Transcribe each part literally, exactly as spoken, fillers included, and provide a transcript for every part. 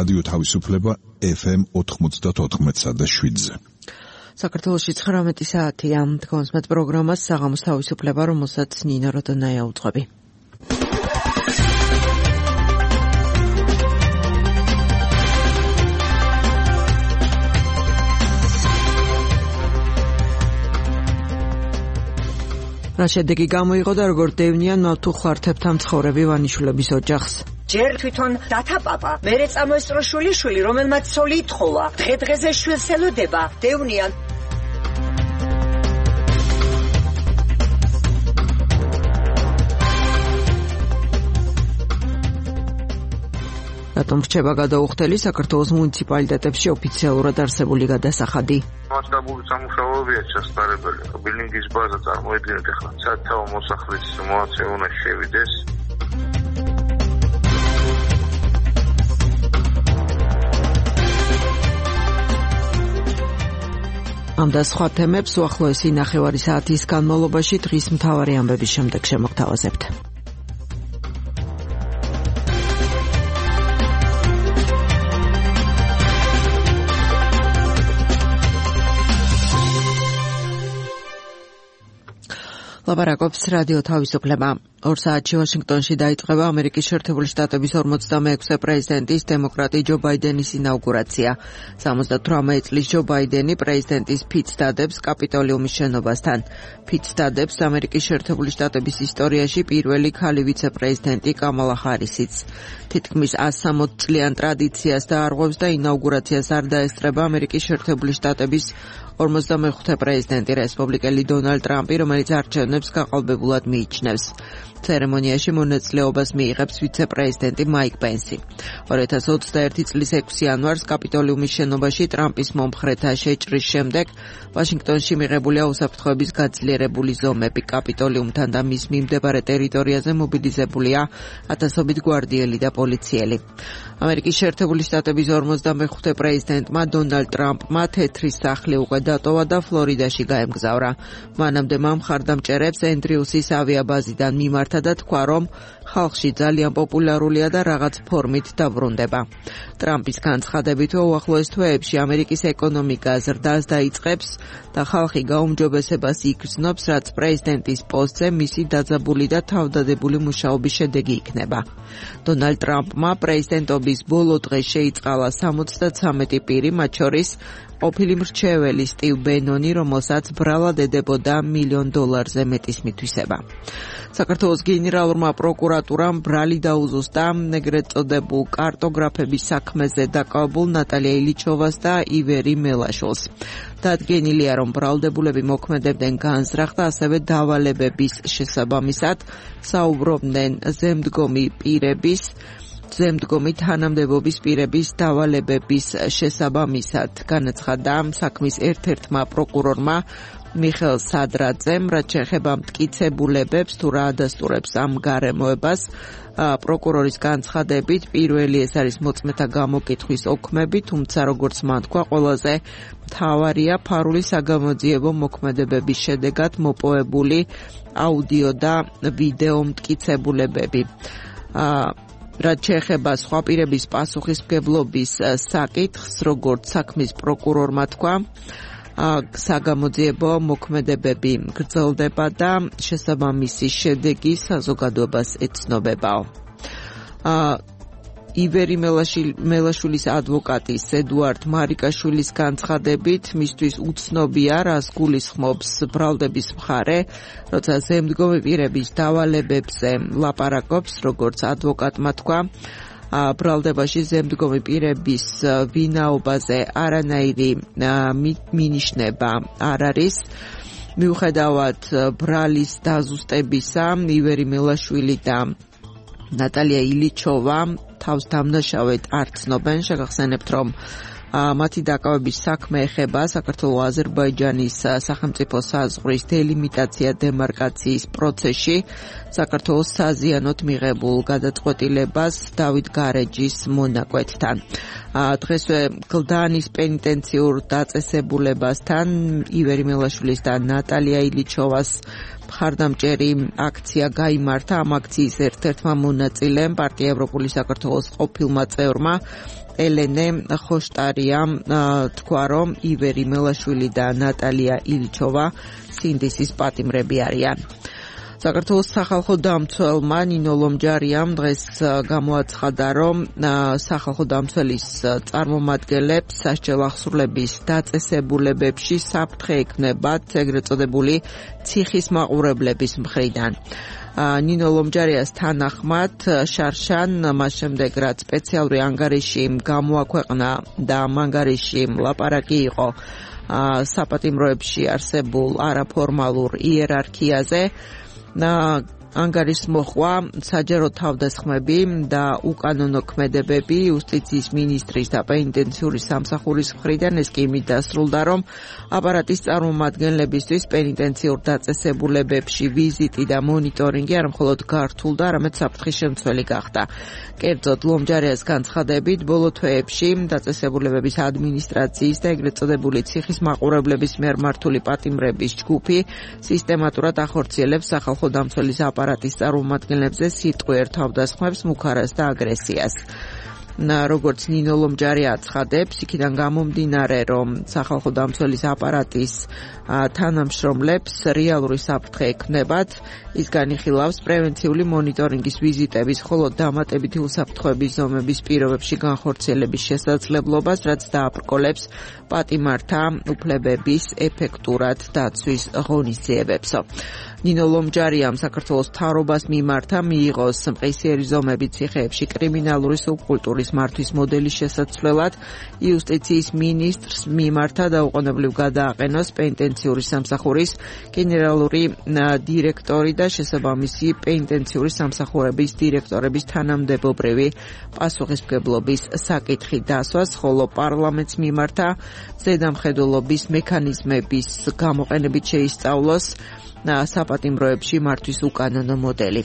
რადიო თავისუფლება ეფ ემ ოთხმოცდაოთხ და შვიდზე. საქართველოში ცხრამეტი საათია. დგომს მათ პროგრამას საღამოს თავისუფლება, რომელსაც ნინო როდონაია უძღვები. რა შედეგი გამოიღო და როგორ დევნიან ნავთუ ხვართებთან მცხოვრები ვანიშვილების ოჯახს. ჯერ თვითონ დათაპაპა, მერე წამოესწრო შვილიშვილი, რომელმაც ცოლი ითხოვა, დღე-დღეზე შვილს ელოდება, დევნიან. რატომ რჩება გადაუხდელი საქართველოს მუნიციპალიტეტებში ოფიციალურად არსებული გადასახადი? მასშტაბური სამუშაოებია ჩასწარებელი. ბილინგის ბაზა წარმოედგინეთ ახლა სათავო მოსახლის მოაცე უნდა შევიდეს. ამ და სხვა თემებს უახლოესი ნახევარი საათის განმავლობაში დღის მთავარი ამბების შემდეგ შემოგთავაზებთ. ლაპარაკობს რადიო თავისუფლება. ორ საათში ვაშინგტონში დაიწყება ამერიკის შეერთებული შტატების ორმოცდამეექვსე პრეზიდენტის დემოკრატი ჯო ბაიდენის ინაუგურაცია. სამოცდათვრამეტ წლის ჯო ბაიდენი პრეზიდენტის ფიცს დადებს კაპიტოლიუმის შენობასთან. ფიცს დადებს ამერიკის შეერთებული შტატების ისტორიაში პირველი ქალი ვიცე-პრეზიდენტი კამალა ჰარისიც. თითქმის ასამოც წლიან ტრადიციას დაარღვევს და ინაუგურაციას არ დაესწრება ამერიკის შეერთებული შტატების ორმოცდამეხუთე პრეზიდენტი რესპუბლიკელი დონალდ ტრამპი, რომელიც არჩევნებს გაყალბებულად მიიჩნევს. ცერემონიაში მონაწილეობას მიიღებს ვიცე-პრეზიდენტი მაიკ პენსი. ორი ათას ოცდაერთი წლის ექვსი იანვარს კაპიტოლიუმის შენობაში ტრამპის მომხრეთა შეჭრის შემდეგ ვაშინგტონში მიღებულია უსაფრთხოების გაძლიერებული ზომები. კაპიტოლიუმთან და მის მიმდებარე ტერიტორიაზე მობილიზებულია ათასობით გვარდიელი და პოლიციელი. ამერიკის შეერთებული შტატების ორმოცდამეხუთე პრეზიდენტმა დონალდ ტრამპმა თეთრი სახლი უკვე დატოვა და ფლორიდაში გაემგზავრა. მანამდე მან მხარდამჭერებს ენდრიუსის ავიაბაზიდან მიმართა და თქვა, რომ ხალხში ძალიან პოპულარულია და რაღაც ფორმით დაბრუნდება. ტრამპის განცხადებით, უახლოეს თვეებში ამერიკის ეკონომიკა ზრდას დაიწყებს და ხალხი გაუმჯობესებას იგრძნობს, რაც პრეზიდენტის პოსტზე მისი დაძაბული და თავდადებული მუშაობის შედეგი იქნება. დონალდ ტრამპმა პრეზიდენტობის ბოლო დღეს შეიწყალა სამოცდათვრამეტი პირი, მათ შორის ყოფილი მრჩეველი სტივ ბენონი, რომელსაც ბრალად ედებოდა მილიონ დოლარზე მეტის მითვისება. საქართველოს გენერალურმა პროკურატურამ ბრალი დაუზუსტა ეგრეთ წოდებულ კარტოგრაფების საქმეზე დაკავებულ ნატალია ილიჩოვას და ივერი მელაშვილს. დადგენილია, რომ ბრალდებულები მოქმედებდნენ განზრახ და ასევე დავალებების შესაბამისად საუბრობდნენ ზემდგომი პირების ზემდგომი თანამდებობის პირების დავალებების შესაბამისად. განაცხადა საქმის ერთ-ერთმა პროკურორმა მიხეილ სადრაძემ, რაც შეეხება მტკიცებულებებს თუ რა ადასტურებს ამ გარემოებას. პროკურორის განცხადებით პირველი ეს არის მოწმეთა გამოკითხვის ოქმები, თუმცა როგორც მან თქვა, ყველაზე მთავარია ფარული საგამოძიებო მოქმედებების შედეგად მოპოვებული აუდიო და ვიდეო მტკიცებულებები. რაც შეეხება სხვა პირების პასუხისმგებლობის საკითხს, როგორც საქმის პროკურორმა თქვა, საგამოძიებო მოქმედებები გრძელდება და შესაბამისი შედეგი საზოგადოებას ეცნობებაო. ივერი მელაშვილის ადვოკატის ედუარდ მარიკაშვილის განცხადებით, მისთვის უცნობია, რას გულისხმობს ბრალდების მხარე, როცა ზემდგომი პირების დავალებებზე ლაპარაკობს, როგორც ადვოკატმა თქვა. ბრალდებაში ზემდგომი პირების ვინაობაზე არანაირი მინიშნება არ არის. მიუხედავად ბრალის დაზუსტებისა, ივერი მელაშვილი და ნატალია ილიჩოვა თავს დამნაშავედ არ ცნობენ. შეგახსენებთ, რომ მათი დაკავების საქმე ეხება საქართველო-აზერბაიჯანის სახელმწიფო საზღვრის დელიმიტაცია დემარკაციის პროცესში საქართველოს საზიანოდ მიღებულ გადაწყვეტილებას დავით გარეჯის მონაკვეთთან. დღესვე გლდანის პენიტენციურ დაწესებულებასთან ივერი მელაშვილის და ნატალია ილიჩოვას მხარდამჭერი აქცია გაიმართა. ამ აქციის ერთ-ერთმა მონაწილემ პარტია ევროპული საქართველოს ყოფილმა წევრმა ელენე ხოშტარიამ თქვა, რომ ივერი მელაშვილი და ნატალია ილჩოვა სინდისის პატიმრები არიან. საქართველოს სახალხო დამცველმა ნინო ლომჯარიამ დღეს გამოაცხადა, რომ სახალხო დამცველის წარმომადგენლებს სასჯელ აღსრულების დაწესებულებებში საფრთხე ექნებათ ეგრეთ წოდებული ციხის მაყურებლების მხრიდან. ნინო ლომჯარიას თანახმად შარშან მას შემდეგ რაც სპეციალური ანგარიში გამოაქვეყნა და ამ ანგარიში ლაპარაკი იყო საპატიმროებში არსებულ არაფორმალურ იერარქიაზე, ანგარიშს მოჰყვა საჯარო თავდასხმები და უკანონო ქმედებები იუსტიციის მინისტრის და პენიტენციური სამსახურის მხრიდან. ეს კი იმით დასრულდა, რომ აპარატის წარმომადგენლებისთვის პენიტენციურ დაწესებულებებში ვიზიტი და მონიტორინგი არა მხოლოდ გართულდა, არამედ საფრთხის შემცველი გახდა. კერძოდ, ლომჯარიას განცხადებით, ბოლო თვეებში დაწესებულებების ადმინისტრაციის და ეგრეთ წოდებული ციხის მაყურებლების მიერ მართული პატიმრების ჯგუფი სისტემატურად ახორციელებს სახალხო დამცველის აპარატის წარმომადგენლებზე სიტყვიერ თავდასხმებს, მუქარას და აგრესიას. როგორც ნინო ლომჯარი აცხადებს, იქიდან გამომდინარე, რომ სახალხო დამცველის აპარატის თანამშრომლებს რეალური საფრთხე ექნებათ, ის განიხილავს პრევენციული მონიტორინგის ვიზიტების, ხოლო დამატებითი უსაფრთხოების ზომების პირობებში განხორციელების შესაძლებლობას, რაც დააბრკოლებს პატიმართა უფლებების ეფექტურად დაცვის ღონისძიებებსო. ნინო ლომჯარიამ საქართველოს მთავრობას მიმართა მიიღოს მყისიერი ზომები ციხეებში კრიმინალური სუბკულტურის მართვის მოდელის შესაცვლელად, იუსტიციის მინისტრს მიმართა დაუყოვნებლივ გადააყენოს პენიტენციური სამსახურის გენერალური დირექტორი და შესაბამისი პენიტენციური სამსახურების დირექტორების თანამდებობრივი პასუხისმგებლობის საკითხი დასვას, ხოლო პარლამენტს მიმართა ზედამხედველობის მექანიზმების გამოყენებით შეისწავლოს საპატიმროებში მართვის უკანონო მოდელი.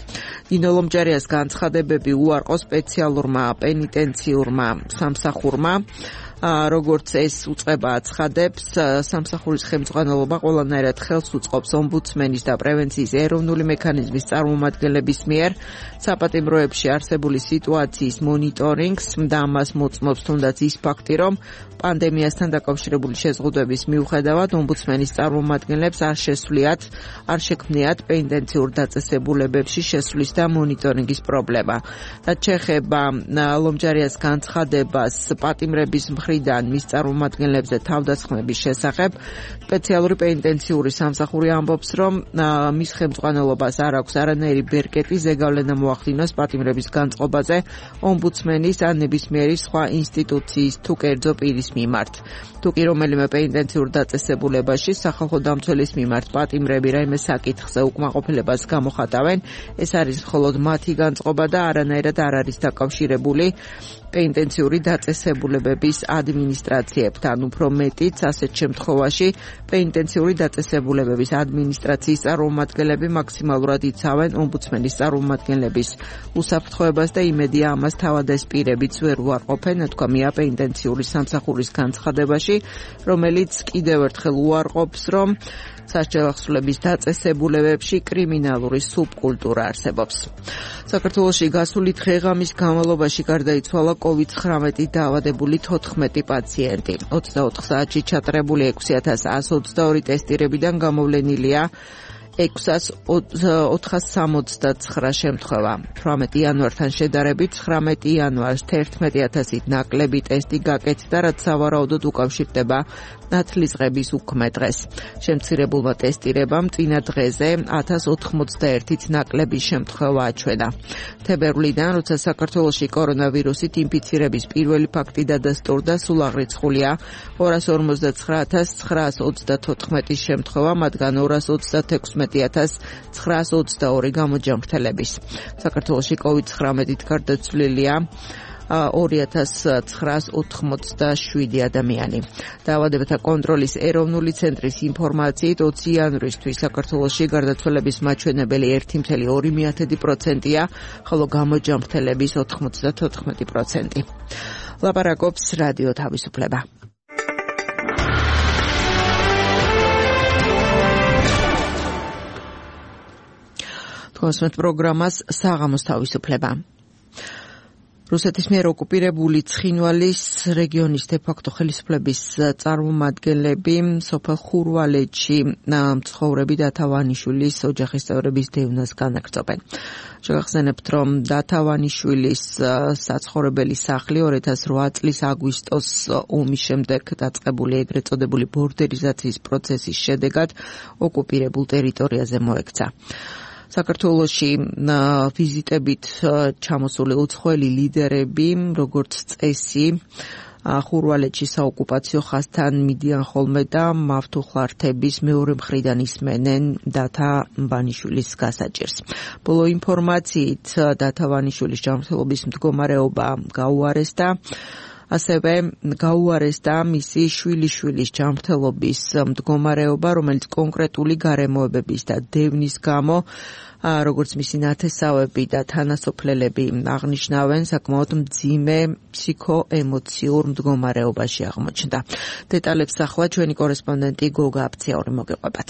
ნინო ლომჯარიას განცხადებები უარყო სპეციალურმა პენიტენციურმა სამსახურმა, როგორც ეს უწყება აცხადებს, სამსახურის ხელმძღვანელობა ყველანაირად ხელს უწყობს ომბუდსმენის და პრევენციის ეროვნული მექანიზმის წარმომადგენლების მიერ საპატიმროებში არსებული სიტუაციის მონიტორინგს და ამას მოწმობს თუნდაც ის ფაქტი, რომ პანდემიასთან დაკავშირებული შეზღუდვების მიუხედავად ომბუდსმენის წარმომადგენლებს არ შესვლიათ, არ შექმნიათ პენიტენციურ დაწესებულებებში შესვლის და მონიტორინგის პრობლემა. რაც შეეხება ლომჯარიას განცხადებას პატიმრების მხრიდან მის წარმომადგენლებზე თავდასხმების შესახებ, სპეციალური პენიტენციური სამსახური ამბობს, რომ მის ხელმძღვანელობას არ აქვს არანაირი ბერკეტი ზეგავლენა მოახდინოს პატიმრების განწყობაზე ომბუდსმენის ან ნებისმიერი სხვა ინსტიტუციის თუ კერძო პირის მიმართ. თუ კი რომელიმე პენიტენციურ დაწესებულებაში სახალხო დამცველის მიმართ პატიმრები რაიმე საკითხზე უკმაყოფილებას გამოხატავენ, ეს არის მხოლოდ მათი განწყობა და არანაირად არ არის დაკავშირებული პენიტენციური დაწესებულებების ადმინისტრაციებთან. უფრო მეტიც, ასეთ შემთხვევაში პენიტენციური დაწესებულებების ადმინისტრაციის წარმომადგენლები მაქსიმალურად იცავენ ომბუდსმენის წარმომადგენლების უსაფრთხოებას და იმედია ამას თავად ეს პირებიც ვერ უარყოფენ, თქვამია პენიტენციური სამსახურის განცხადებაში, რომელიც კიდევ ერთხელ უარყოფს, რომ სასჯელ აღსრულების დაწესებულებებში კრიმინალური სუბკულტურა არსებობს. საქართველოში გასული დღე-ღამის განმავლობაში გარდაიცვალა კოვიდ ცხრამეტი დაავადებული თოთხმეტი პაციენტი. ოცდაოთხ საათში ჩატარებული ექვსი ათას εκατო ოცდაორი ტესტირებიდან გამოვლენილია ექვსას ოთხას სამოცდაცხრა შემთხვევა. თვრამეტი იანვართან შედარებით ცხრამეტი იანვარს თერთმეტი ათასით ნაკლები ტესტი გაკეთდა, რაც სავარაუდოდ უკავშირდება ნათლისღების უქმე დღეს. შემცირებულმა ტესტირებამ წინა დღეზე ათას ოთხმოცდაერთით ნაკლების შემთხვევა აჩვენა. თებერვლიდან, როცა საქართველოში კორონავირუსით ინფიცირების პირველი ფაქტი დადასტურდა, სულ აღრიცხულია ორას ორმოცდაცხრა ათას ცხრაას ოცდათოთხმეტის შემთხვევა, მათგან ორას ოცდათექვსმეტი ათას ცხრაას ოცდაორი გამოჯანმრთელების. საქართველოში კოვიდ ცხრამეტით გარდაცვლილია ორი ათას ცხრაას ოთხმოცდაშვიდი ადამიანი. დაავადებათა კონტროლის ეროვნული ცენტრის ინფორმაციით ოცი იანვრისთვის საქართველოში გარდაცვალების მაჩვენებელი ერთი კoma ორი პროცენტია, ხოლო გამოჯანმრთელების ოთხმოცდათოთხმეტი პროცენტი. ლაპარაკობს რადიო თავისუფლება. თქვენს პროგრამას საღამოს თავისუფლება. რუსეთის მიერ ოკუპირებული ცხინვალის რეგიონის დე-ფაქტო ხელისუფლების წარმომადგენლები სოფელ ხურვალეთში მცხოვრები დათა ვანიშვილის ოჯახის წევრების დევნას განაგრძობენ. შეგახსენებთ, რომ დათა ვანიშვილის საცხოვრებელი სახლი ორი ათას რვა წლის აგვისტოს ომის შემდეგ დაწყებული ეგრეთ წოდებული ბორდერიზაციის პროცესის შედეგად ოკუპირებულ ტერიტორიაზე მოექცა. საქართველოში ვიზიტებით ჩამოსული უცხოელი ლიდერები, როგორც წესი, ხურვალეთში საოკუპაციო ხაზთან მიდიან ხოლმე და მავთუხლართების მეორე მხრიდან ისმენენ დათა ვანიშვილის გასაჭირს. ბოლო ინფორმაციით დათა ვანიშვილის ჯანმრთელობის მდგომარეობა გაუარესდა. ასევე გაუარესდა მისი შვილიშვილის ჯანმრთელობის მდგომარეობა, რომელიც კონკრეტული გარემოებების და დევნის გამო, როგორც მისი ნათესავები და თანასოფლელები აღნიშნავენ, საკმაოდ მძიმე ფსიქოემოციურ მდგომარეობაში აღმოჩნდა. დეტალებს ახლა ჩვენი კორესპონდენტი გოგა აფციური მოგეყვებათ.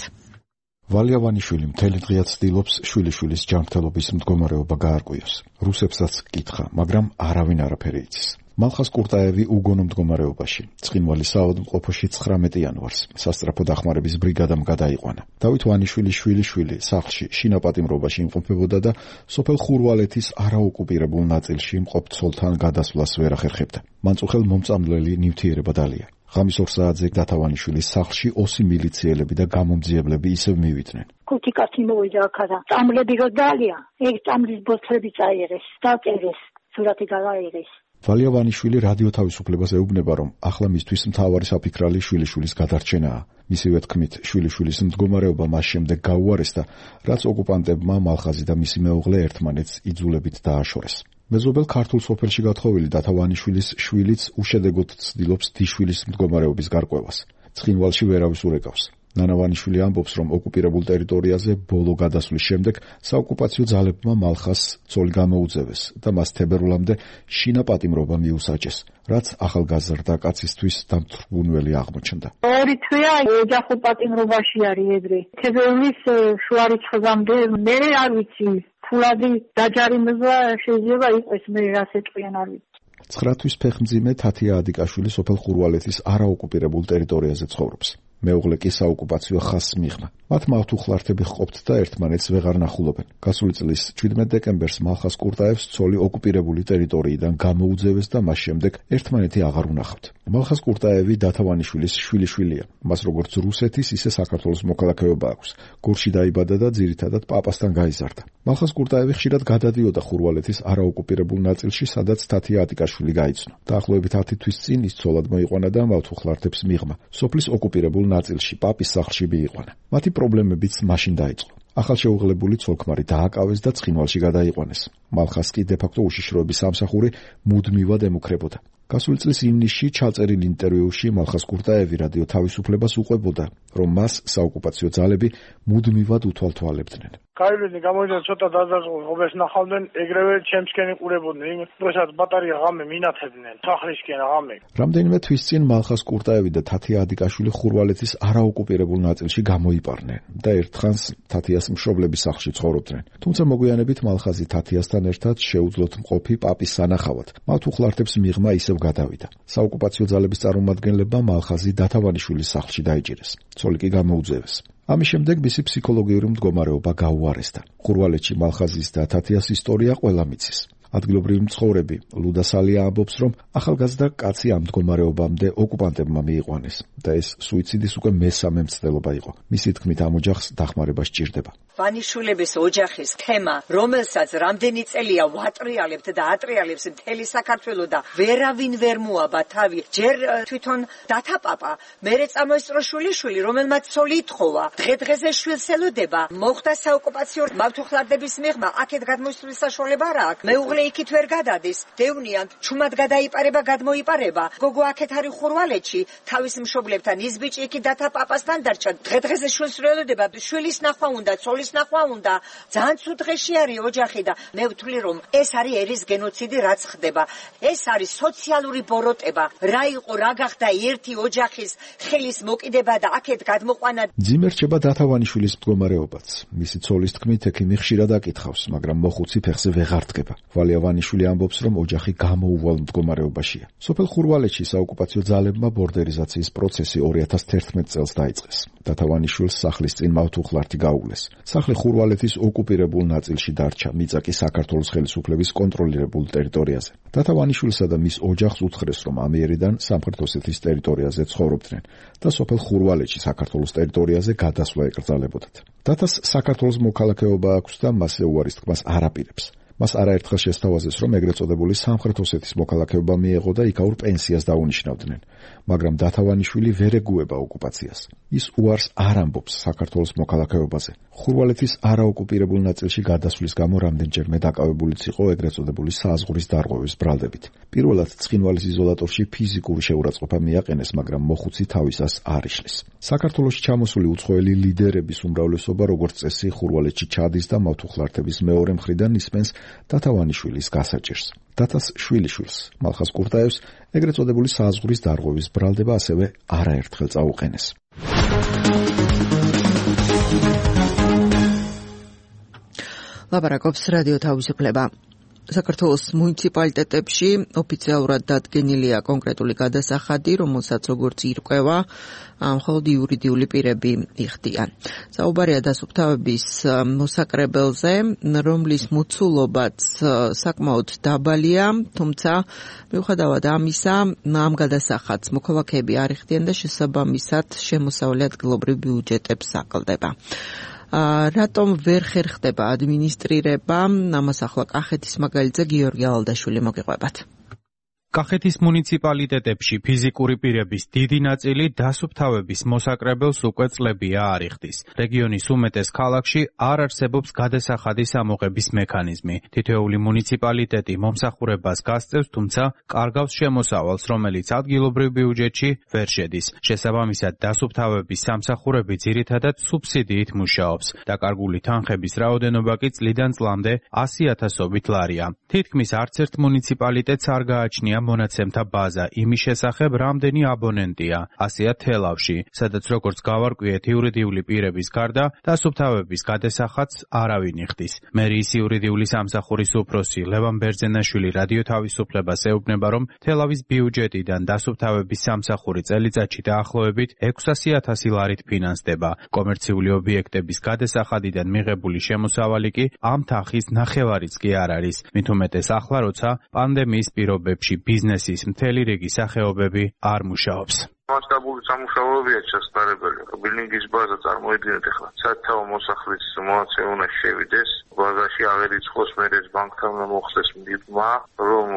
ვალია ვანიშვილი მთელი დღეა ცდილობს შვილიშვილის ჯანმრთელობის მდგომარეობა გაარკვიოს. რუსებსაც კითხა, მაგრამ არავინ არაფერი იცის. მალხას კურტაევი უგონო მდგომარეობაში. ცხინვალის საავადმყოფოში ცხრამეტი იანვარს სასწრაფო დახმარების ბრიგადამ გადაიყვანა. დავით ვანიშვილის შვილიშვილი სახლში შინაპატიმრობაში იმყოფებოდა და სოფელ ხურვალეთის არაოკუპირებულ ნაწილში მყოფ ცოლთან გადასვლას ვერ ახერხებდა. მან წუხელ მომწამლელი ნივთიერება დალია. ღამის ორ საათზე დათა ვანიშვილის სახლში ოსი მილიციელები და გამომძიებლები ისევ მივიდნენ. ხუთი კაცი მოვიდა აქა. წამლები რო დალია, ეგ წამლის ბოთლები წაიღეს, დაწერეს, სურათი გადაიღეს. ვალია ვანიშვილი რადიო თავისუფლებას ეუბნება, რომ ახლა მისთვის მთავარი საფიქრალი შვილიშვილის გადარჩენაა. მისივე თქმით, შვილიშვილის მდგომარეობა მას შემდეგ გაუარესდა, რაც ოკუპანტებმა მალხაზი და მისი მეუღლე ერთმანეთს იძულებით დააშორეს. მეზობელ ქართულ სოფელში გათხოვილი დათა ვანიშვილის შვილიც უშედეგოდ ცდილობს დიშვილის მდგომარეობის გარკვევას. ცხინვალში ვერავის ურეკავს. ნანა ვანიშვილი ამბობს, რომ ოკუპირებულ ტერიტორიაზე ბოლო გადასვლის შემდეგ საოკუპაციო ძალებმა მალხას ცოლი გამოუძევეს და მას თებერვლამდე შინაპატიმრობა მიუსაჯეს, რაც ახალგაზრდა კაცისთვის დამთრგუნველი აღმოჩნდა. ორი თვეა ოჯახო პატიმრობაში არის ეგრე. თებერვლის შუა რიცხვამდე მე არ ვიცი, ფულადი დაჯარიმება შეიძლება იყოს, მე რას ეტყვიან არ ვიცი. ცხრა თვის ფეხმძიმე თათია ადიკაშვილი სოფელ ხურვალეთის არაოკუპირებულ ტერიტორიაზე ცხოვრობს. მეუღლე კი საოკუპაციო ხაზს მიღმა. მათ მავთუხლართები ჰყოფთ და ერთმანეთს ვეღარ ნახულობენ. გასული წლის შვიდმეტ დეკემბერს მალხას კურტაევს ცოლი ოკუპირებული ტერიტორიიდან გამოუძევეს და მას შემდეგ ერთმანეთი აღარ უნახავთ. მალხას კურტაევი დათა ვანიშვილის შვილიშვილია. მას როგორც რუსეთის, ისე საქართველოს მოქალაქეობა აქვს. გორში დაიბადა და ძირითადად პაპასთან გაიზარდა. მალხას კურტაევი ხშირად გადადიოდა ხურვალეთის არაოკუპირებულ ნაწილში, სადაც თათია ადიკაშვილი გაიცნო. დაახლოებით ათი თვის წინ ის ცოლად მოიყვანა და მავთუხლართებს მიღმა. სოფლის ოკუპირებულ ნაწილში პაპის სახლში მიიყვანა. მათი პრობლემებიც მაშინ დაიწყო. ახალშეუღლებული ცოლ-ქმარი დააკავეს და ცხინვალში გადაიყვანეს. მალხას კი დე-ფაქტო უშიშროების სამსახური მუდმივად ემუქრებოდა. გასული წლის ივნისში ჩაწერილ ინტერვიუში მალხას კურტაევი რადიო თავისუფლებას უყვებოდა, რომ მას საოკუპაციო ძალები მუდმივად უთვალთვალებდნენ. გაივლინე გამოვიდა ცოტა დაზარალებას ნახავდნენ, ეგრევე ჩემსკენ იყურებოდნენ, იმ დროსაც ბატარია ღამე მინათებდნენ, სახლისკენ ღამე. რამდენიმე თვის წინ მალხას კურტაევი და თათია ადიკაშვილი ხურვალეთის არაოკუპირებულ ნაწილში გამოიპარნენ და ერთხანს თათიას მშობლების სახლში ცხოვრობდნენ. თუმცა მოგვიანებით მალხაზი თათიასთან ერთად შეუძლოთ მყოფი პაპის სანახავად. მავთუხლართებს მიღმა ისევ გადავიდა. საოკუპაციო ძალების წარმომადგენლებმა მალხაზი დათა ვანიშვილის სახლში დაიჭირეს. ცოლი კი გამოუძევეს. ამის შემდეგ მისი ფსიქოლოგიური მდგომარეობა გაუარესდა. ხურვალეთში მალხაზის და თათიას ისტორია ყველა მიცის. ადგილობრივი მცხოვრები ლუდა სალია ამბობს, რომ ახალგაზრდა კაცი ამ მდგომარეობამდე ოკუპანტებმა მიიყვანეს და ეს სუიციდის უკვე მესამე მცდელობა იყო. მისი თქმით, ამ ოჯახს დახმარება სჭირდება. ვანიშვილების ოჯახის თემა, რომელსაც რამდენი წელია ვატრიალებთ და ატრიალებს მთელი საქართველო და ვერავინ ვერ მოაბა თავი, ჯერ თვითონ დათა პაპა, მერე წამოისწრო შვილიშვილი, რომელმაც ცოლი ითხოვა, დღე-დღეზე შვილს ელოდება, მოხდა საოკუპაციო მავთუხლარდების მიღმა, აქეთ გადმოსვლის საშუალება არ აქვს. მეუღლე იქით ვერ გადადის, დევნიან, ჩუმად გადაიპარება, გადმოიპარება. გოგო აქეთ არის ხურვალეთში, თავის მშობლებთან, ის ბიჭი იქით დათა პაპასთან დარჩა, დღე-დღეზე შვილს ელოდება, შვილის ნახვა უნდა, ცოლის მის ნახვა უნდა. ძალიან ცუდ დღეში არის ოჯახი და მე ვთვლი რომ ეს არის ერის გენოციდი რაც ხდება. ეს არის სოციალური ბოროტება. რა იყო, რა გახდა ერთი ოჯახის ხელის მოკიდება და აქეთ გადმოყვანა. ძიმერ რჩება დათავანიშვილის მდგომარეობაც. მისი ცოლის თქმით, ექიმი ხშირად აკითხავს, მაგრამ მოხუცი ფეხზე ვეღარ დგება. ვალია ვანიშვილი ამბობს, რომ ოჯახი გამოუვალ მდგომარეობაშია. სოფელ ხურვალეთში საოკუპაციო ძალებმა ბორდერიზაციის პროცესი ორი ათას თერთმეტ წელს დაიწყეს. დათავანიშვილს სახლის წინ მავთუხლართი გაუგლეს. სახლი ხურვალეთის ოკუპირებულ ნაწილში დარჩა, მიწა კი საქართველოს ხელისუფლების კონტროლირებულ ტერიტორიაზე. დათავანიშვილსა და მის ოჯახს უთხრეს, რომ ამიერიდან სამხრეთ ოსეთის ტერიტორიაზე ცხოვრობდნენ და სოფელ ხურვალეთში საქართველოს ტერიტორიაზე გადასვლა ეკრძალებოდათ. დათას საქართველოს მოქალაქეობა აქვს და მასზე უარის თქმას არ აპირებს. მას არაერთხელ შესთავაზეს, რომ ეგრეთ წოდებული სამხრეთ ოსეთის მოქალაქეობა მიეღო და იქაურ პენსიას დაუნიშნავდნენ, მაგრამ დათავანიშვილი ვერ ეგუება ოკუპაციას. ის უარს არ ამბობს საქართველოს მოქალაქეობაზე. ხურვალეთის არაოკუპირებულ ნაწილში გადასვლის გამო რამდენჯერმე დაკავებულიც იყო ეგრეთ წოდებული საზღვრის დარღვევის ბრალდებით. პირველად ცხინვალის იზოლატორში ფიზიკური შეურაცხყოფა მიაყენეს, მაგრამ მოხუცი თავისას არ იშლის. საქართველოში ჩამოსული უცხოელი ლიდერების უმრავლესობა, როგორც წესი, ხურვალეთში ჩადის და მავთუხლართების მეორე მხრიდან ისმენს დათავანიშვილის გასაჭირს. დათას შვილიშვილს, მალხას კურტაევს, ეგრეთ წოდებული საზღვრის დარღვევის ბრალდება ასევე არაერთხელ წაუყენეს. ლაპარაკობს რადიო თავისუფლება. საქართველოს მუნიციპალიტეტებში ოფიციალურად დადგენილია კონკრეტული გადასახადი, რომელსაც როგორც ირკვევა, მხოლოდ იურიდიული პირები იხდიან. საუბარია დასუფთავების მოსაკრებელზე, რომლის მოცულობაც საკმაოდ დაბალია, თუმცა მიუხედავად ამისა, ამ გადასახადს მოქალაქეები არ იხდიან და შესაბამისად შემოსავლე ადგილობრივ ბიუჯეტებს აკლდება. რატომ ვერ ხერხდება ადმინისტრირება? ამას ახლა კახეთის მაგალითზე გიორგი ალდაშვილი მოგიყვებათ. კახეთის მუნიციპალიტეტებში ფიზიკური პირების დიდი ნაწილი დასუფთავების მოსაკრებელს უკვე წლებია არ იხდის. რეგიონის უმეტეს ქალაქში არ არსებობს გადასახადის ამოღების მექანიზმი. თითოეული მუნიციპალიტეტი მომსახურებას გასწევს, თუმცა კარგავს შემოსავალს, რომელიც ადგილობრივ ბიუჯეტში ვერ შედის. შესაბამისად, დასუფთავების სამსახურები ძირითადად სუბსიდიით მუშაობს. დაკარგული თანხების რაოდენობა კი წლიდან წლამდე ასი ათასობით ლარია. თითქმის არც ერთ მუნიციპალიტეტს არ გააჩნია მონაცემთა ბაზა იმის შესახებ, რამდენი აბონენტია. ასეა თელავში, სადაც როგორც გავარკვიეთ იურიდიული პირების გარდა, დასუფთავების გადასახადს არავინ იხდის. მერიის იურიდიული სამსახურის უფროსი ლევან ბერძენაშვილი რადიო თავისუფლებას ეუბნება, რომ თელავის ბიუჯეტიდან დასუფთავების სამსახური წელიწადში დაახლოებით ექვსასი ათასი ლარით ფინანსდება. კომერციული ობიექტების გადასახადიდან მიღებული შემოსავალი კი ამ თანხის ნახევარიც კი არ არის. მით უმეტეს ახლა, როცა პანდემიის პირობებში ბიზნესის მთელი რიგი სახეობები არ მუშაობს. მასშტაბური სამუშაოებია შესაძლებელი. ბილინგის ბაზა წარმოედგინეთ ახლა. სათაო მოსახლის მონაცემი უნდა შევიდეს. ბაზაში აღერიცხოს მერეც ბანკთან მოხდეს მდიბმა, რომ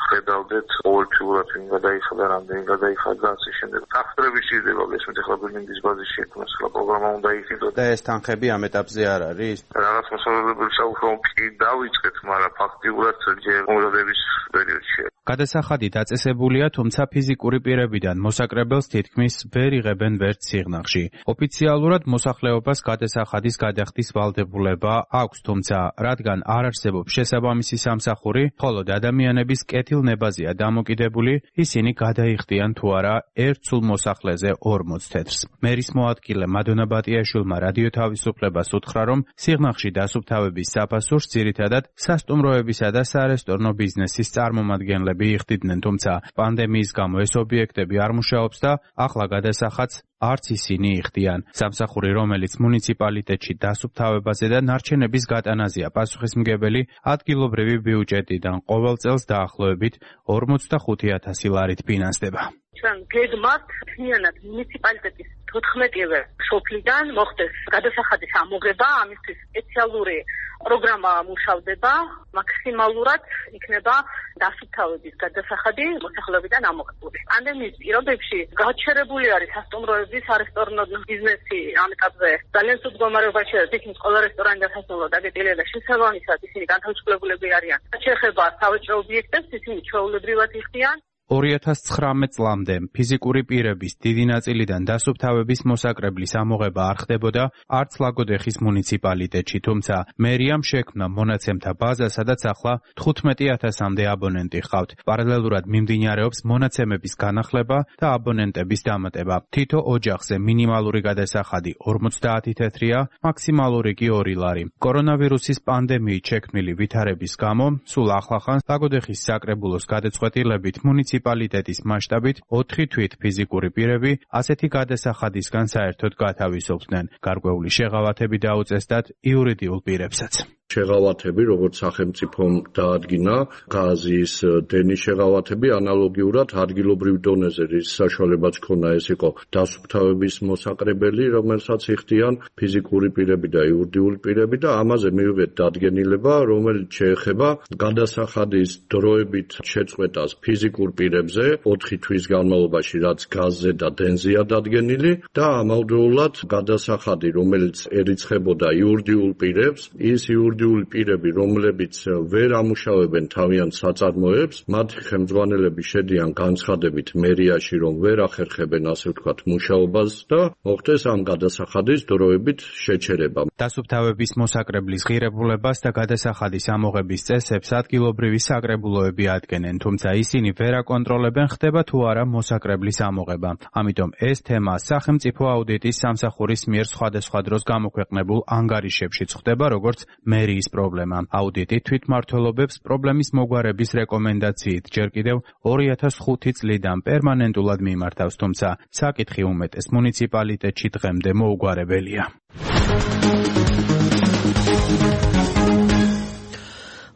ხედავდეთ ყოველთვიურად ვინ გადაიხადა, რამდენი გადაიხადა და ასე შემდეგ. თანხები შეიძლება გესმით ახლა ბილინგის ბაზის შექმნას, ახლა პროგრამა უნდა იხილოთ. და ეს თანხები ამ ეტაპზე არ არის? რაღაც მოსახლეობის საუბრობ კი დავიწყეთ, მაგრამ ფაქტიურად ჯერ მომზადების პერიოდში. გადასახადი დაწესებულია, თუმცა ფიზიკური პირებიდან მოსაკრებელს თითქმის ვერ იღებენ ვერც სიღნაღში. ოფიციალურად მოსახლეობას გადასახადის გადახდის ვალდებულება აქვს, თუმცა რადგან არ არსებობს შესაბამისი სამსახური, მხოლოდ ადამიანების კეთილნებაზეა დამოკიდებული, ისინი გადაიხდიან თუ არა ერთ სულ მოსახლეზე ორმოც თეთრს. მერის მოადგილე მადონა ბატიაშვილმა რადიო თავისუფლებას უთხრა, რომ სიღნაღში დასუფთავების საფასურს ძირითადად სასტუმროებისა და სარესტორნო ბიზნესის წარმომადგენლები იხდიდნენ, თუმცა პანდემიის გამო ეს ობიექტები არ მუშაობს და ახლა გადასახადს არც ისინი იხდიან. სამსახური, რომელიც მუნიციპალიტეტში დასუფთავებაზე და ნარჩენების გატანაზეა პასუხისმგებელი, ადგილობრივი ბიუჯეტიდან ყოველ წელს დაახლოებით ორმოცდახუთი ათასი ლარით ფინანსდება. ჩვენ გეგმავთ მთლიანად მუნიციპალიტეტის თოთხმეტივე სოფლიდან მოხდეს გადასახადის ამოღება, ამისთვის სპეციალური პროგრამა მუშავდება, მაქსიმალურად იქნება დასუფთავების გადასახადი მოსახლეობიდან ამოღებული. პანდემიის პირობებში გაჩერებული არის სასტუმროების, არესტორნო ბიზნესი ამ ეტაპზე. ძალიან ცუდ მდგომარეობაში არის თითქმის ყველა რესტორანი და სასტუმრო დაგეტილია და შესაბამისად ისინი განთავისუფლებულები არიან. რაც შეეხება სავაჭრო ობიექტებს, ისინი ჩვეულებრივად იხდიან. ორი ათას ცხრამეტ წლამდე ფიზიკური პირების დიდი ნაწილიდან დასუფთავების მოსაკრებლის ამოღება არ ხდებოდა არც ლაგოდეხის მუნიციპალიტეტში, თუმცა მერიამ შექმნა მონაცემთა ბაზა, სადაც ახლა თხუთმეტი ათასამდე აბონენტი ჰყავთ. პარალელურად მიმდინარეობს მონაცემების განახლება და აბონენტების დამატება. თითო ოჯახზე მინიმალური გადასახადი ორმოცდაათი თეთრია, მაქსიმალური კი ორი ლარი. კორონავირუსის პანდემიით შექმნილი ვითარების გამო სულ ახლახან ლაგოდეხის საკრებულოს გადაწყვეტილებით მუნიციპალიტეტის მასშტაბით ოთხი თვით ფიზიკური პირები ასეთი გადასახადისგან საერთოდ გათავისუფლდნენ. გარკვეული შეღავათები დაუწესდათ იურიდიულ პირებსაც. შეღავათები, როგორც სახელმწიფომ დაადგინა, გაზის დენის შეღავათები ანალოგიურად ადგილობრივ დონეზე, რის საშუალებაც ქონა ეს იყო დასუფთავების მოსაკრებელი, რომელსაც იხდიან ფიზიკური პირები და იურიდიული პირები და ამაზე მივიღეთ დადგენილება, რომელიც შეეხება გადასახადის დროებით შეწყვეტას ფიზიკურ პირებზე ოთხი თვის განმავლობაში, რაც გაზზე და დენზეა დადგენილი და ამავდროულად გადასახადი, რომელიც ერიცხებოდა იურიდიულ პირებს, ის იურიდიული პირები, რომლებიც ვერ ამუშავებენ თავიანთ საწარმოებს, მათი ხელმძღვანელები შედიან განცხადებით მერიაში, რომ ვერ ახერხებენ ასე ვთქვათ მუშაობას და მოხდეს ამ გადასახადის დროებით შეჩერება. დასუფთავების მოსაკრებლის ღირებულებას და გადასახადის ამოღების წესებს ადგილობრივი საკრებულოები ადგენენ, თუმცა ისინი ვერ აკონტროლებენ, ხდება თუ არა მოსაკრებლის ამოღება. ამიტომ ეს თემა სახელმწიფო აუდიტის სამსახურის მიერ სხვადასხვა დროს გამოქვეყნებულ ანგარიშებშიც ხდება, როგორც მერიის პრობლემა. აუდიტი თვითმმართველობებს პრობლემის მოგვარების რეკომენდაციით ჯერ კიდევ ორი ათას ხუთი წლიდან პერმანენტულად მიმართავს, თუმცა საკითხი უმეტეს მუნიციპალიტეტში დღემდე მოუგვარებელია.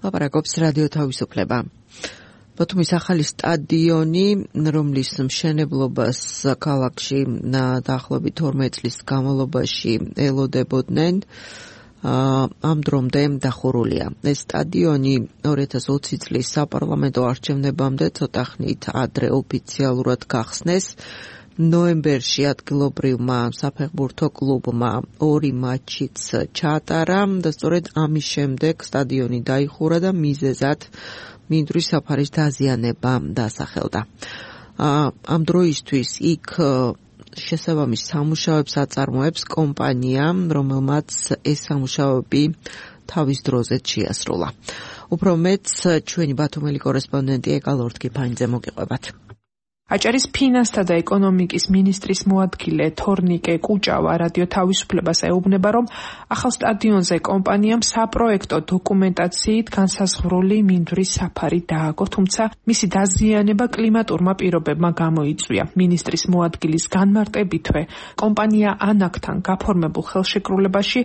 ლაპარაკობს რადიო თავისუფლება. ბათუმის ახალი სტადიონი, რომლის მშენებლობას ქალაქში დაახლოებით თორმეტ წლის განმავლობაში ელოდებოდნენ, ამ დრომდე დახურულია. ეს სტადიონი ორი ათას ოცი წლის საპარლამენტო არჩევნებამდე ცოტა ხნით ადრე ოფიციალურად გახსნეს. ნოემბერში ადგილობრივმა საფეხბურთო კლუბმა ორი მატჩიც ჩაატარა და სწორედ ამის შემდეგ სტადიონი დაიხურა და მიზეზად მინდვრის საფარის დაზიანება დასახელდა. ამ დროისთვის იქ შესაბამის სამუშაოებს აწარმოებს კომპანია, რომელმაც ეს სამუშაოები თავის დროზე შეასრულა. უფრო მეტს ჩვენი ბათუმელი კორესპონდენტი ეკა ლორთქიფანიძე მოგიყვებათ. აჭარის ფინანსთა და ეკონომიკის მინისტრის მოადგილე თორნიკე კუჭავა რადიო თავისუფლებას ეუბნება, რომ ახალ სტადიონზე კომპანიამ საპროექტო დოკუმენტაციით განსაზღვრული მინდვრის საფარი დააგო, თუმცა მისი დაზიანება კლიმატურმა პირობებმა გამოიწვია. მინისტრის მოადგილის განმარტებითვე, კომპანია ანაკთან გაფორმებულ ხელშეკრულებაში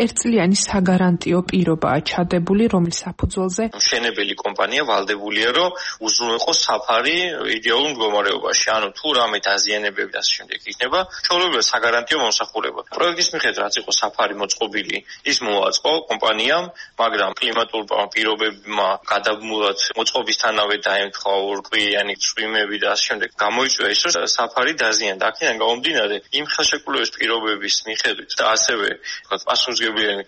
ერთწლიანი საგარანტიო პირობაა ჩადებული, რომლის საფუძველზე მშენებელი კომპანია ვალდებულია, რომ უზრუნველყოს საფარი იდეალურ მდგომარეობაში. ანუ თუ რამე დაზიანებები და ასე შემდეგ იქნება, ჩვეულებრივ საგარანტიო მომსახურება. პროექტის მიხედვით რაც იყო საფარი მოწყობილი, ის მოაწყო კომპანიამ, მაგრამ კლიმატურ პირობებმა გადაბმულად მოწყობისთანავე დაემთხვა ორკვირიანი წვიმები და ასე შემდეგ. გამოიწვია ის, რომ საფარი დაზიანდა. აქედან გამომდინარე, იმ ხელშეკრულების პირობების მიხედვით და ასევე პასუხისმგებლიანი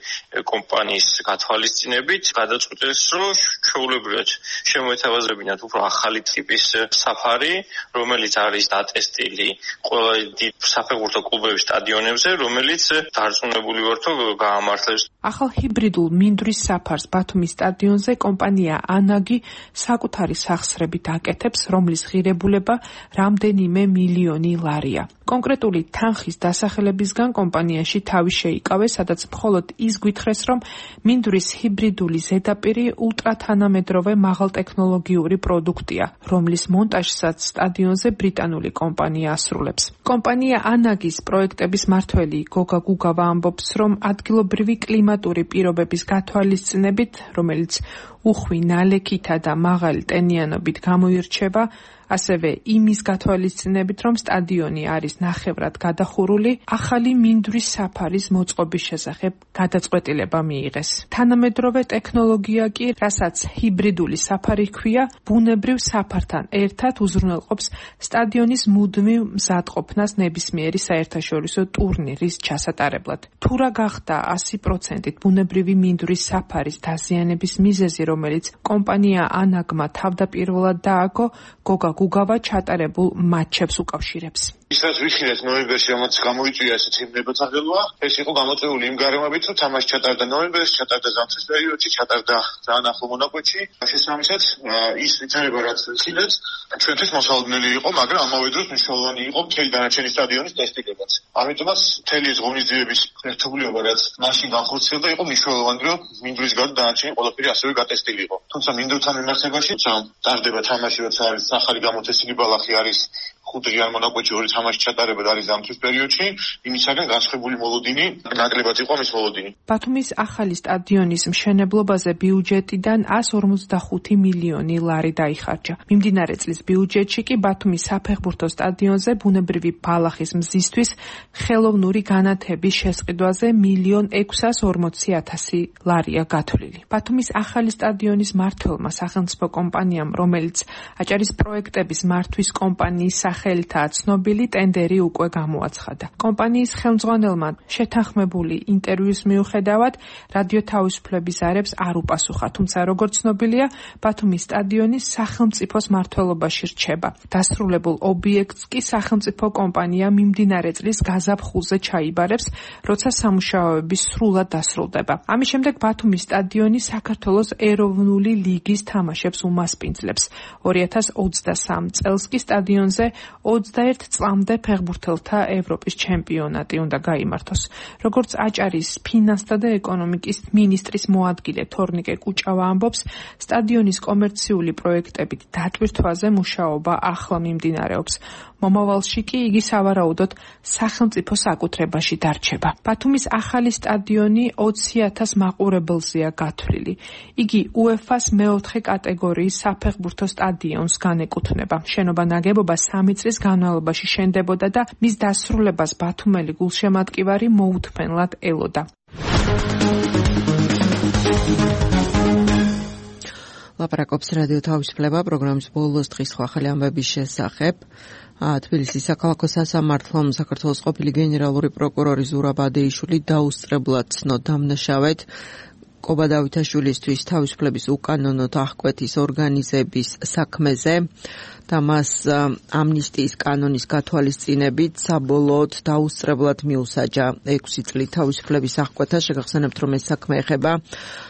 კომპანიის გათვალისწინებით გადაწყვეტეს, რომ ჩვეულებრივად შემოეთავაზებინათ უფრო ახალი ტიპის საფარი, რომელიც არის დატესტილი ყველა დიდ საფეხბურთო კლუბების სტადიონებზე, რომელიც დარწმუნებული ვართ, რომ გაამართლებს. ახალ ჰიბრიდულ მინდვრის საფარს ბათუმის სტადიონზე კომპანია ანაგი საკუთარი სახსრებით აკეთებს, რომლის ღირებულება რამდენიმე მილიონი ლარია. კონკრეტული თანხის დასახელებისგან კომპანიაში თავი შეიკავეს, სადაც მხოლოდ ის გვითხრეს, რომ მინდვრის ჰიბრიდული ზედაპირი ულტრათანამედროვე მაღალტექნოლოგიური პროდუქტია, რომლის მონტაჟსაც სტადიონზე ბრიტანული კომპანია ასრულებს. კომპანია ანაგის პროექტების მმართველი გოგა გუგავა ამბობს, რომ ადგილობრივი კლიმატური პირობების გათვალისწინებით, რომელიც უხვი ნალექითა და მაღალი ტენიანობით გამოირჩევა, ასევე იმის გათვალისწინებით, რომ სტადიონი არის ნახევრად გადახურული, ახალი მინდვრის საფარის მოწყობის შესახებ გადაწყვეტილება მიიღეს. თანამედროვე ტექნოლოგია კი, რასაც ჰიბრიდული საფარი ჰქვია, ბუნებრივ საფართან ერთად უზრუნველყოფს სტადიონის მუდმივ მზადყოფნას ნებისმიერი საერთაშორისო ტურნირის ჩასატარებლად. თუ რა გახდა ასი პროცენტით ბუნებრივი მინდვრის საფარის დაზიანების მიზეზი, რომელიც კომპანია ანაგმა თავდაპირველად დააგო, გოგა გუგავა ჩატარებულ მატჩებს უკავშირებს. ისაც ვიხილეთ ნოემბერში, რომელიც გამოიწვია ესეთი ნებათაღელვა, ეს იყო გამოწვეული იმ გარემოებით, რომ თამაში ჩატარდა ნოემბერში, ჩატარდა ზამთრის პერიოდში, ჩატარდა ძალიან ახლო მონაკვეთში. შესაბამისად, ის ვითარება რაც ვიხილეთ, ჩვენთვის მოსალოდნელი იყო, მაგრამ ამავე დროს მნიშვნელოვანი იყო მთელი დანარჩენი სტადიონის ტესტირებაც. ამიტომაც მთელი ეს ღონისძიების ერთობლიობა, რაც მაშინ განხორციელდა, იყო მნიშვნელოვანი, რომ მინდვრის გარდა დანარჩენი ყველაფერი ასევე გატესტილი იყო. თუმცა მინდვრთან მიმართებაში, ტარდება თამაში, როცა არის ახალი გამოთესილი ბალახი არის ხუთი ან მონაკვეთში ორი თამაში ჩატარება არის ზამთრის პერიოდში, იმისაგან განსხვავებული მოლოდინი, ნაკლებად იყო მის მოლოდინი. ბათუმის ახალი სტადიონის მშენებლობაზე ბიუჯეტიდან εκατს ორმოცდახუთი მილიონი ლარი დაიხარჯა. მიმდინარე წლის ბიუჯეტში კი ბათუმის საფეხბურთო სტადიონზე ბუნებრივი ბალახის მზისთვის ხელოვნური განათების შესყიდვაზე მილიონ ექვსას ორმოცი ათასი ლარია გათვლილი. ბათუმის ახალი სტადიონის მმართველმა სახელმწიფო კომპანიამ, რომელიც აჭარის პროექტების მართვის კომპანიის სახელითაა ცნობილი, ტენდერი უკვე გამოაცხადა. კომპანიის ხელმძღვანელმა შეთანხმებული ინტერვიუს მიუხედავად რადიო თავისუფლების არებს არ უპასუხა, თუმცა როგორც ცნობილია, ბათუმის სტადიონი სახელმწიფოს მმართველობაში რჩება. დასრულებულ ობიექტს კი სახელმწიფო კომპანია მიმდინარე წლის გაზაფხულზე ჩაიბარებს, როცა სამუშაოები სრულად დასრულდება. ამის შემდეგ ბათუმის სტადიონი საქართველოს ეროვნული ლიგის თამაშებს უმასპინძლებს. ორი ათას ოცდასამ წელს კი სტადიონზე ოცდაერთ წლამდე ფეხბურთელთა ევროპის ჩემპიონატი უნდა გაიმართოს. როგორც აჭარის ფინანსთა და ეკონომიკის მინისტრის მოადგილე თორნიკე კუჭავა ამბობს, სტადიონის კომერციული პროექტებით დატვირთვაზე მუშაობა ახლა მიმდინარეობს. მომავალში კი იგი სავარაუდოდ სახელმწიფო საკუთრებაში დარჩება. ბათუმის ახალი სტადიონი ოცი ათას მაყურებელზეა გათვლილი. იგი უეფას მეოთხე კატეგორიის საფეხბურთო სტადიონს განეკუთვნება. შენობა ნაგებობა სამი წლის განმავლობაში შენდებოდა და მის დასრულებას ბათუმელი გულშემატკივარი მოუთმენლად ელოდა. ლაპარაკობს რადიო თავისუფლება პროგრამის ბოლოს დღის ახალი ამბების შესახებ. თბილისის საქალაქო სასამართლომ საქართველოს ყოფილი გენერალური პროკურორი ზურაბ ადეიშვილი დაუსწრებლად ცნო დამნაშავედ კობა დავითაშვილისთვის თავისუფლების უკანონოდ აღკვეთის ორგანიზების საქმეზე და მას ამნისტიის კანონის გათვალისწინებით საბოლოოდ დაუსწრებლად მიუსაჯა ექვსი წლით თავისუფლების აღკვეთა. შეგახსენებთ, რომ ეს საქმე ეხება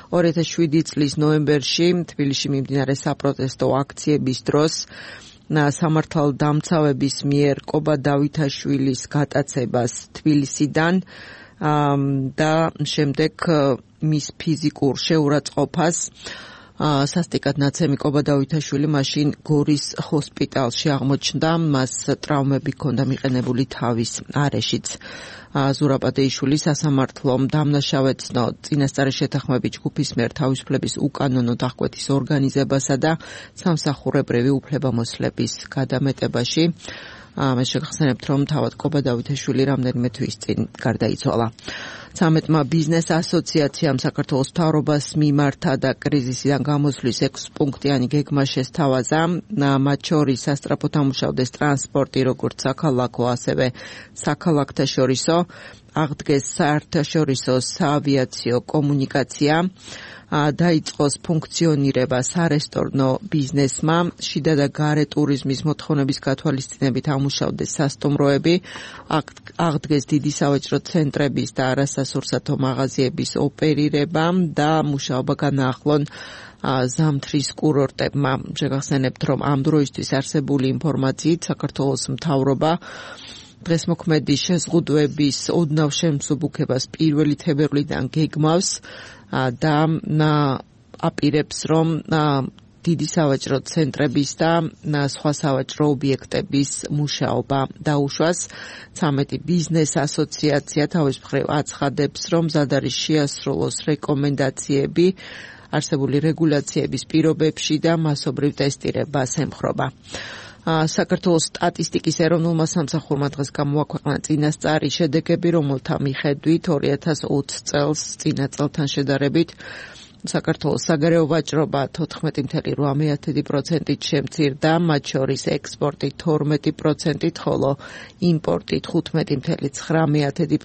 ორი ათას შვიდი წლის ნოემბერში თბილისში მიმდინარე საპროტესტო აქციების დროს სამართალდამცავების მიერ კობა დავითაშვილის გატაცებას თბილისიდან და შემდეგ მის ფიზიკურ შეურაცხყოფას სასტიკად ნაცემი კობა დავითაშვილი მაშინ გორის ჰოსპიტალში აღმოჩნდა. მას ტრავმები ჰქონდა მიყენებული თავის არეშიც. ზურაბ ადეიშვილი სასამართლომ დამნაშავედ ცნო წინასწარი შეთანხმებით ჯგუფის მიერ თავისუფლების უკანონოდ აღკვეთის ორგანიზებასა და სამსახურებრივი უფლებამოსილების გადამეტებაში. მე შეგახსენებთ, რომ თავად კობა დავითაშვილი რამდენიმე თვის წინ გარდაიცვალა. ცამეტმა ბიზნეს ასოციაციამ საქართველოს მთავრობას მიმართა და კრიზისიდან გამოსვლის ექვსპუნქტიანი გეგმა შესთავაზა. მათ შორის სასწრაფოდ ამუშავდეს ტრანსპორტი, როგორც საქალაქო, ასევე საქალაქთაშორისო, აღდგეს საერთაშორისო საავიაციო კომუნიკაცია, დაიწყოს ფუნქციონირება სარესტორნო ბიზნესმა, შიდა და გარე ტურიზმის მოთხოვნების გათვალისწინებით ამუშავდეს სასტუმროები, აღდგეს დიდი სავაჭრო ცენტრების და არასასურსათო მაღაზიების ოპერირება და მუშაობა განაახლონ ზამთრის კურორტებმა. შეგახსენებთ, რომ ამ დროისთვის არსებული ინფორმაციით საქართველოს მთავრობა დღესმოქმედი შეზღუდვების ოდნავ შემსუბუქებას პირველი თებერვლიდან გეგმავს და აპირებს, რომ დიდი სავაჭრო ცენტრების და სხვა სავაჭრო ობიექტების მუშაობა დაუშვას. ცამეტი ბიზნეს ასოციაცია თავის მხრივ აცხადებს, რომ მზად არის შეასრულოს რეკომენდაციები არსებული რეგულაციების პირობებში და მასობრივ ტესტირებას ემხრობა. საქართველოს სტატისტიკის ეროვნულმა სამსახურმა დღეს გამოაქვეყნა წინასწარი შედეგები, რომელთა მიხედვით ორი ათას ოცი წელს წინა წელთან შედარებით საქართველოს საგარეო ვაჭრობა თოთხმეტი წამი რვა პროცენტით შემცირდა, მათ შორის ექსპორტი თორმეტი პროცენტით, ხოლო იმპორტი თხუთმეტი წამი ცხრა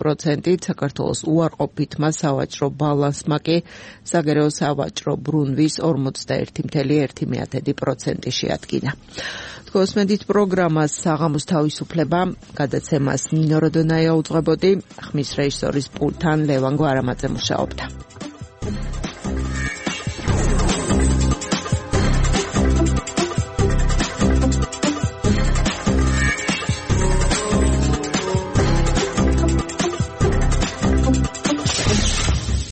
პროცენტით. საქართველოს უარყოფითმა სავაჭრო ბალანსმა კი საგარეო სავაჭრო ბრუნვის ორმოცდაერთი წამი ერთი პროცენტი შეადგინა. გოსმედით პროგრამას საღამოს თავისუფლება, გადაცემას ნინო როდონაია უძღვებოდი, ხმის რეჟისორის პულტთან ლევან გვარამაძე მუშაობდა.